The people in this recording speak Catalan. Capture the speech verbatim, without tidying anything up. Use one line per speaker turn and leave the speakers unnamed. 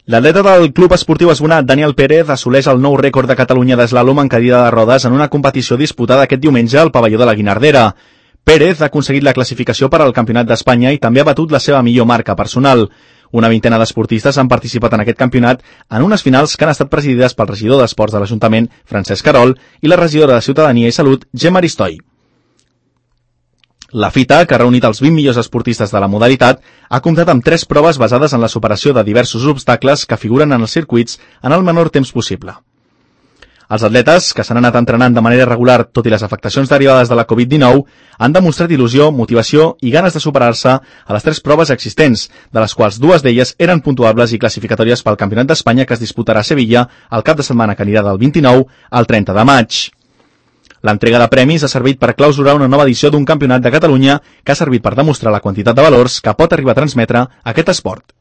L'atleta del Club Esportiu Esbonat, Daniel Pérez, assoleix el nou rècord de Catalunya d'eslàlom en cadira de rodes en una competició disputada aquest diumenge al pavelló de la Guinardera. Pérez ha aconseguit la classificació per al Campionat d'Espanya i també ha batut la seva millor marca personal. Una vintena d'esportistes han participat en aquest campionat en unes finals que han estat presidides pel regidor d'Esports de l'Ajuntament, Francesc Carol, i la regidora de Ciutadania i Salut, Gemma Aristoi. La fita, que ha reunit els vint millors esportistes de la modalitat, ha comptat amb tres proves basades en la superació de diversos obstacles que figuren en els circuits en el menor temps possible. Els atletes, que s'han anat entrenant de manera regular tot i les afectacions derivades de la covid dinou, han demostrat il·lusió, motivació i ganes de superar-se a les tres proves existents, de les quals dues d'elles eren puntuables i classificatòries pel Campionat d'Espanya que es disputarà a Sevilla el cap de setmana que anirà del vint-i-nou al trenta de maig. L'entrega de premis ha servit per clausurar una nova edició d'un campionat de Catalunya que ha servit per demostrar la quantitat de valors que pot arribar a transmetre aquest esport.